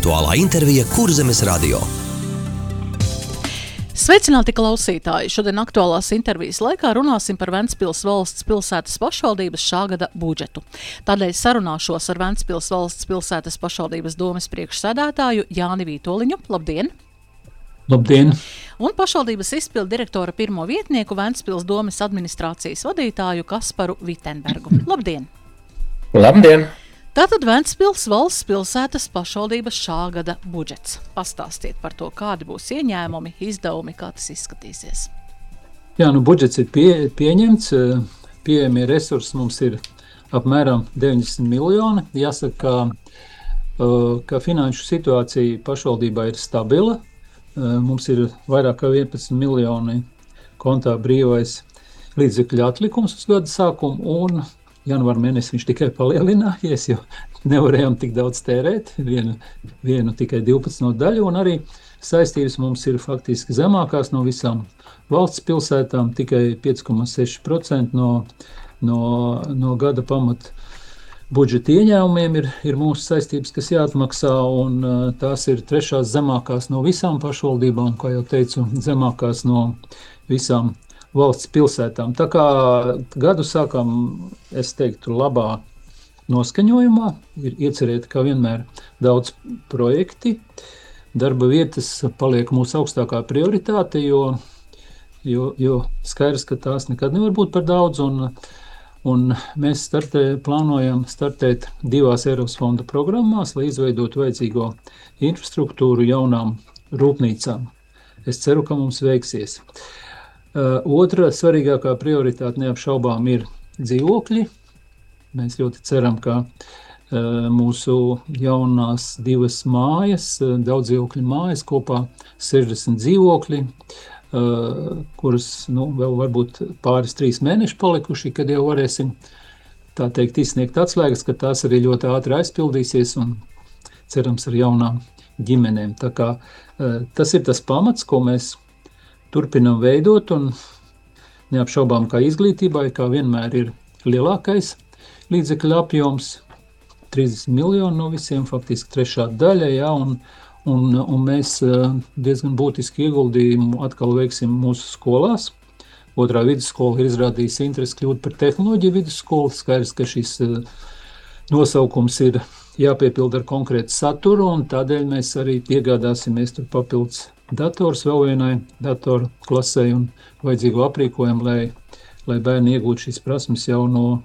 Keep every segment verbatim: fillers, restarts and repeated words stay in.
Aktuālā intervija Kurzemes radio. Sveicināti klausītāji! Šodien aktuālās intervijas laikā runāsim par Ventspils valsts pilsētas pašvaldības šā gada budžetu. Tādēļ sarunāšos ar Ventspils valsts pilsētas pašvaldības domes priekšsēdētāju Jāni Vītoliņu. Labdien! Labdien! Un pašvaldības izpildu direktora pirmo vietnieku Ventspils domes administrācijas vadītāju Kasparu Vitenbergu. Labdien! Labdien! Tātad Ventspils valsts pilsētas pašvaldības šā gada budžets. Pastāstiet par to, kādi būs ieņēmumi, izdevumi, kā tas izskatīsies. Jā, nu budžets ir pie, pieņemts, pieejamie resursi mums ir apmēram deviņdesmit miljoni. Jāsaka, ka, ka finanšu situācija pašvaldībā ir stabila. Mums ir vairāk kā vienpadsmit miljoni kontā brīvais līdzekļu atlikums uz gada sākumu, un janvāra mēnesī viņš tikai palielinājies, jo nevarējām tik daudz tērēt, vienu, vienu tikai divpadsmit daļu, un arī saistības mums ir faktiski zemākās no visām valsts pilsētām, tikai pieci komā seši procenti no, no, no gada pamata budžeta ieņēmumiem ir, ir mūsu saistības, kas jāatmaksā, un uh, tās ir trešās zemākās no visām pašvaldībām, kā jau teicu, zemākās no visām valsts pilsētām. Tā kā gadu sākam, es teiktu, labā noskaņojumā, ir iecerēti, kā vienmēr, daudz projekti. Darba vietas paliek mūsu augstākā prioritāte, jo, jo, jo skaidrs, ka tās nekad nevar būt par daudz, un, un mēs startē, plānojam startēt divās Eiropas fonda programmās, lai izveidotu vajadzīgo infrastruktūru jaunām rūpnīcām. Es ceru, ka mums veiksies. Uh, otra svarīgākā prioritāte neapšaubām ir dzīvokļi. Mēs ļoti ceram, ka uh, mūsu jaunās divas mājas, uh, daudz dzīvokļu mājas, kopā sešdesmit dzīvokļi, uh, kuras nu, vēl varbūt pāris trīs mēneši palikuši, kad jau varēsim tā teikt izsniegt atslēgas, ka tās arī ļoti ātri aizpildīsies un cerams ar jaunām ģimenēm. Tā kā uh, tas ir tas pamats, ko mēs turpinam veidot, un neapšaubām, kā izglītībai, kā vienmēr ir lielākais līdzekļu apjoms, trīsdesmit miljoni no visiem, faktiski trešā daļa, jā, un, un, un mēs diezgan būtiski ieguldījumu atkal veiksim mūsu skolās. Otrā vidusskola ir izrādījusi interesi kļūt par tehnoloģiju vidusskolu, skaidrs, ka šis nosaukums ir jāpiepilda ar konkrētu saturu, un tādēļ mēs arī piegādāsimies tur papildus dators vēl vienai datoru klasē un vajadzīgo aprīkojumu, lai, lai bērni iegūtu šīs prasmes jau no,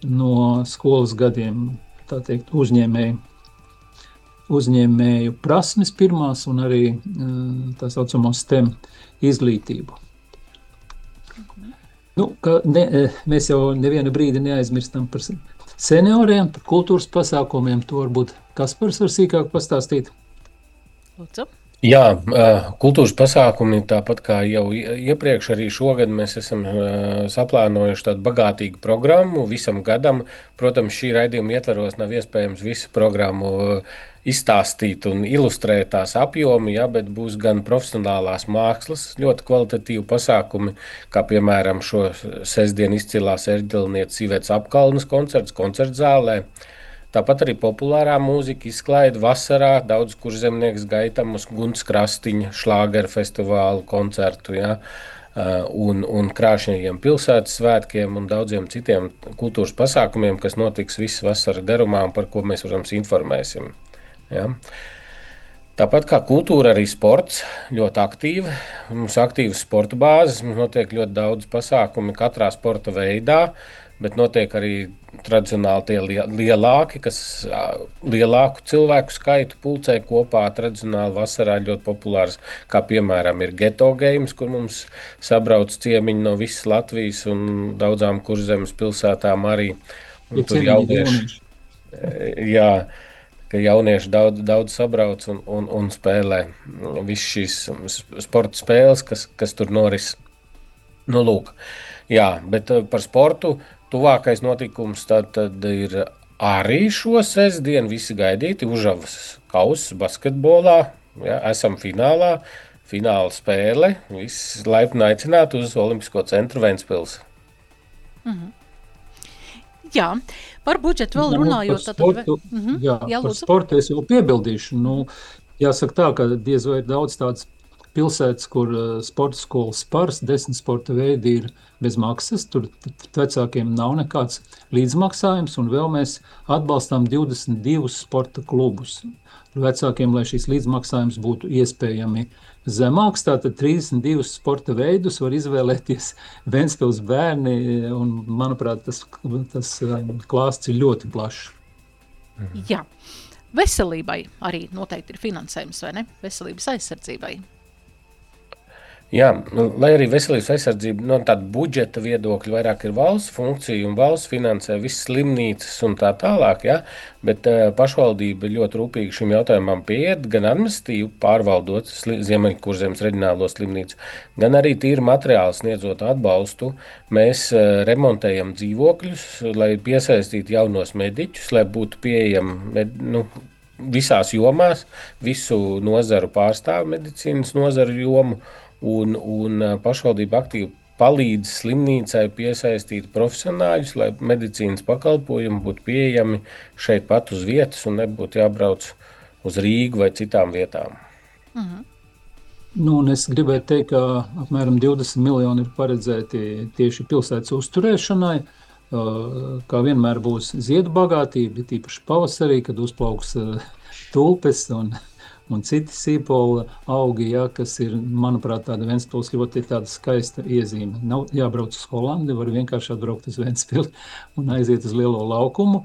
no skolas gadiem, tā teikt, uzņēmēju, uzņēmēju prasmes pirmās un arī tā saucamo STEM izglītību. Nu, ka ne, mēs jau nevienu brīdi neaizmirstam par senioriem, par kultūras pasākumiem, to varbūt Kaspars var sīkāk pastāstīt. Lūdzu. Jā, kultūras pasākumi, tāpat kā jau iepriekš, arī šogad mēs esam saplānojuši tādu bagātīgu programmu visam gadam. Protams, šī raidījuma ietvaros nav iespējams visu programmu izstāstīt un ilustrēt tās apjomi, ja, bet būs gan profesionālās mākslas, ļoti kvalitatīvi pasākumi, kā piemēram šo sestdien izcilās Erģelnieces Ivetas Apkalnes koncerts koncertzālē. Tāpat arī populārā mūzika izklaida vasarā, daudz kurzemnieks gaitam uz Gunts Krastiņa šlāgeru festivālu koncertu, ja, un, un krāšņajiem pilsētas svētkiem un daudziem citiem kultūras pasākumiem, kas notiks visu vasaru garumā un par ko mēs, protams, informēsim. Ja. Tāpat kā kultūra, arī sports ļoti aktīvi. Mums aktīvas sporta bāzes, mums notiek ļoti daudz pasākumi katrā sporta veidā, bet notiek arī tradicionāli tie lielāki, kas lielāku cilvēku skaitu pulcē kopā. Tradicionāli vasarā ļoti populārs, kā piemēram ir Geto Games, kur mums sabrauc ciemiņi no visas Latvijas un daudzām kurzemes pilsētām arī. Un tur jaunieši, jā, ka jaunieši daudz, daudz sabrauc un, un, un spēlē visu šīs sporta spēles, kas, kas tur noris. Nu, lūk, jā, bet par sportu tuvākais notikums tad, tad ir arī šo sestdienu visi gaidīti Užavas kausa basketbolā. Ja, esam finālā, fināla spēle. Visi laipni aicināti uz Olimpisko centru Ventspils. Mhm. Jā, par budžetu vēl runājot. Par sportu, tad... mm-hmm. jā, jā, par sportu es jau piebildīšu. Nu, jāsaka tā, ka diez vai ir daudz tādas pilsētas, kur uh, sporta skolas Spars, desmit sporta veidi ir bez maksas. Tur vecākiem nav nekāds līdzmaksājums, un vēl mēs atbalstām divdesmit divus sporta klubus. Vecākiem, lai šīs līdzmaksājums būtu iespējami zemāks, tātad trīsdesmit divus sporta veidus var izvēlēties Ventspils bērni, un, manuprāt, tas, tas klāsts ir ļoti plašs. Jā, veselībai arī noteikti ir finansējums, vai ne? Veselības aizsardzībai. Jā, lai arī veselības aizsardzība no tāda budžeta viedokļa vairāk ir valsts funkcija un valsts finansē visas slimnīcas un tā tālāk, ja? Bet uh, pašvaldība ļoti rūpīgi šim jautājumam pieiet, gan administratīvi pārvaldot Ziemeļkurzemes reģionālo slimnīcu, gan arī tīri materiāli sniedzot atbalstu. Mēs uh, remontējam dzīvokļus, lai piesaistītu jaunos mediķus, lai būtu pieejami med, nu, visās jomās, visu nozaru pārstāvu medicīnas nozaru jomu. Un, un pašvaldība aktīvi palīdz slimnīcai piesaistīt profesionāļus, lai medicīnas pakalpojumi būtu pieejami šeit pat uz vietas un nebūtu jābrauc uz Rīgu vai citām vietām. Mhm. Nu, un es gribētu teikt, ka apmēram divdesmit miljoni ir paredzēti tieši pilsētas uzturēšanai. Kā vienmēr būs ziedu bagātība, tīpaši pavasarī, kad uzplauks tulpes un un citi sīpola augi, ja, kas ir, manuprāt, tāda Ventspils ļoti tāda skaista iezīme. Nav jābrauc uz Holandi, var vienkārši atbraukt uz Ventspili un aiziet uz lielo laukumu.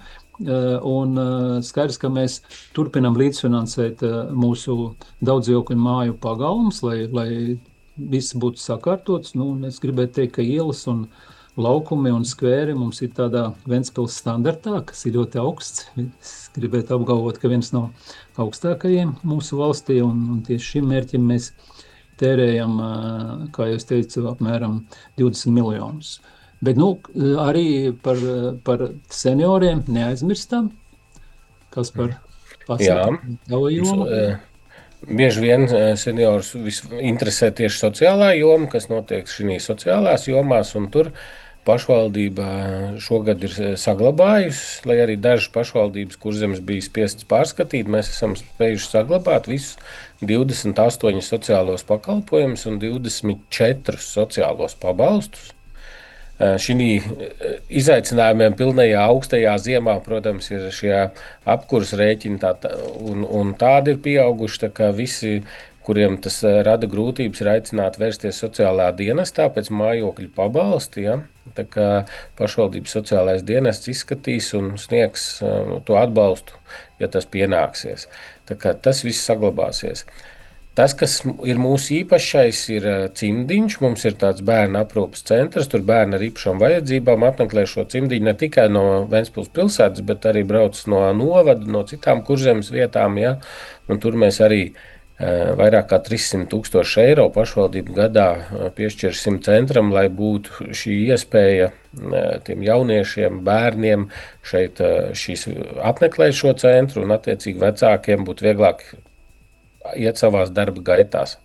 Un skaidrs, ka mēs turpinam līdzfinansēt mūsu daudzdzīvokļu māju pagalmus, lai, lai viss būtu sakārtots. Nu, es gribētu teikt, ka ielas un laukumi un skvēri mums ir tādā Ventspils standartā, kas ir ļoti augsts. Es gribētu apgalvot, ka viens no augstākajiem mūsu valstī, un, un tieši šim mērķim mēs tērējam, kā jau es teicu, apmēram divdesmit miljonus. Bet nu, arī par, par senioriem neaizmirstam, kas par pasākumu tava joma. Bieži vien seniorus interesē tieši sociālā joma, kas notiek šī sociālās jomās, un tur pašvaldība šogad ir saglabājusi, lai arī dažas pašvaldības, Kurzemes bija spiestas pārskatīt, mēs esam spējuši saglabāt visus divdesmit astoņus sociālos pakalpojumus un divdesmit četrus sociālos pabalstus. Šī izaicinājumiem pilnajā augstajā ziemā, protams, ir šie apkurs rēķini tā, un, un tādi ir pieauguši, tā kā visi, kuriem tas rada grūtības, ir aicināti vērsties sociālā dienestā pēc mājokļu pabalsti. Ja? Tā kā pašvaldības sociālais dienests izskatīs un sniegs uh, to atbalstu, ja tas pienāksies. Tā kā tas viss saglabāsies. Tas, kas ir mūsu īpašais, ir cimdiņš. Mums ir tāds bērnu aprūpas centrs, tur bērni ar īpašām vajadzībām apmeklē šo cimdiņu ne tikai no Ventspils pilsētas, bet arī brauc no novada, no citām Kurzemes vietām. Ja? Un tur mēs arī vairāk kā trīssimt tūkstoši eiro pašvaldību gadā piešķirsim centram, lai būtu šī iespēja tiem jauniešiem, bērniem šeit šīs apmeklēt šo centru un attiecīgi vecākiem būtu vieglāk iet savās darba gaitās.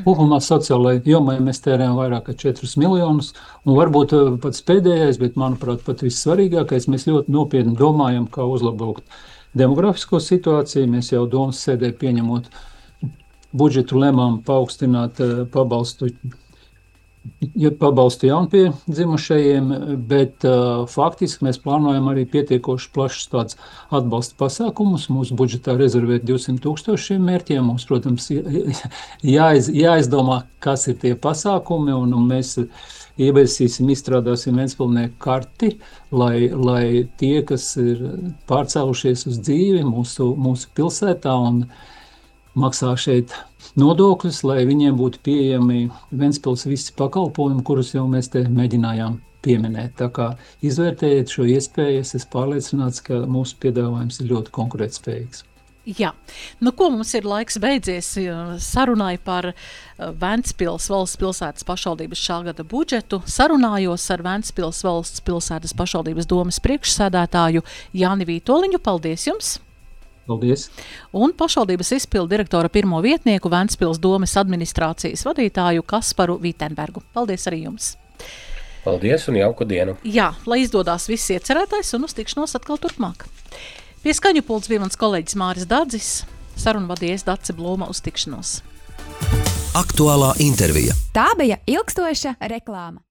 Kopumā sociālajai jomai mēs tērējam vairāk kā četrus miljonus, un varbūt pats pēdējais, bet manuprāt pat vissvarīgākais, mēs ļoti nopietni domājam, kā uzlabot demografisko situāciju. Mēs jau domas sēdē pieņemot budžetu lēmām paaugstināt pabalstu, pabalstu jaunpiedzimušajiem, bet uh, faktiski mēs plānojam arī pietiekoši plašs tāds atbalsta pasākumus. Mūsu budžetā rezervēt divsimt tūkstoši šiem mērķiem. Mums, protams, jāiz, jāizdomā, kas ir tie pasākumi, un, un mēs ieviesīsim, izstrādāsim Ventspilnieku karti, lai, lai tie, kas ir pārcēlušies uz dzīvi mūsu, mūsu pilsētā un maksā šeit nodokļus, lai viņiem būtu pieejami Ventspils visi pakalpojumi, kurus jau mēs te mēģinājām pieminēt. Tā kā izvērtējiet šo iespēju, es esmu pārliecināts, ka mūsu piedāvājums ir ļoti konkurētspējīgs. Jā, nu ko mums ir laiks beidzies sarunai par Ventspils valsts pilsētas pašvaldības šā gada budžetu. Sarunājos ar Ventspils valsts pilsētas pašvaldības domes priekšsēdētāju Jāni Vītoliņu. Paldies jums! Paldies! Un pašvaldības izpildu direktora pirmo vietnieku Ventspils domes administrācijas vadītāju Kasparu Vitenbergu. Paldies arī jums! Paldies un jauku dienu! Jā, lai izdodas viss iecerētais un uz tikšanos atkal turpmāk. Pie skaņu pults bija mans kolēģis Māris Dadzis, sarunu vadījies Dace Blūma, uz tikšanos. Aktuālā intervija. Tā bija ilgstoša reklāma.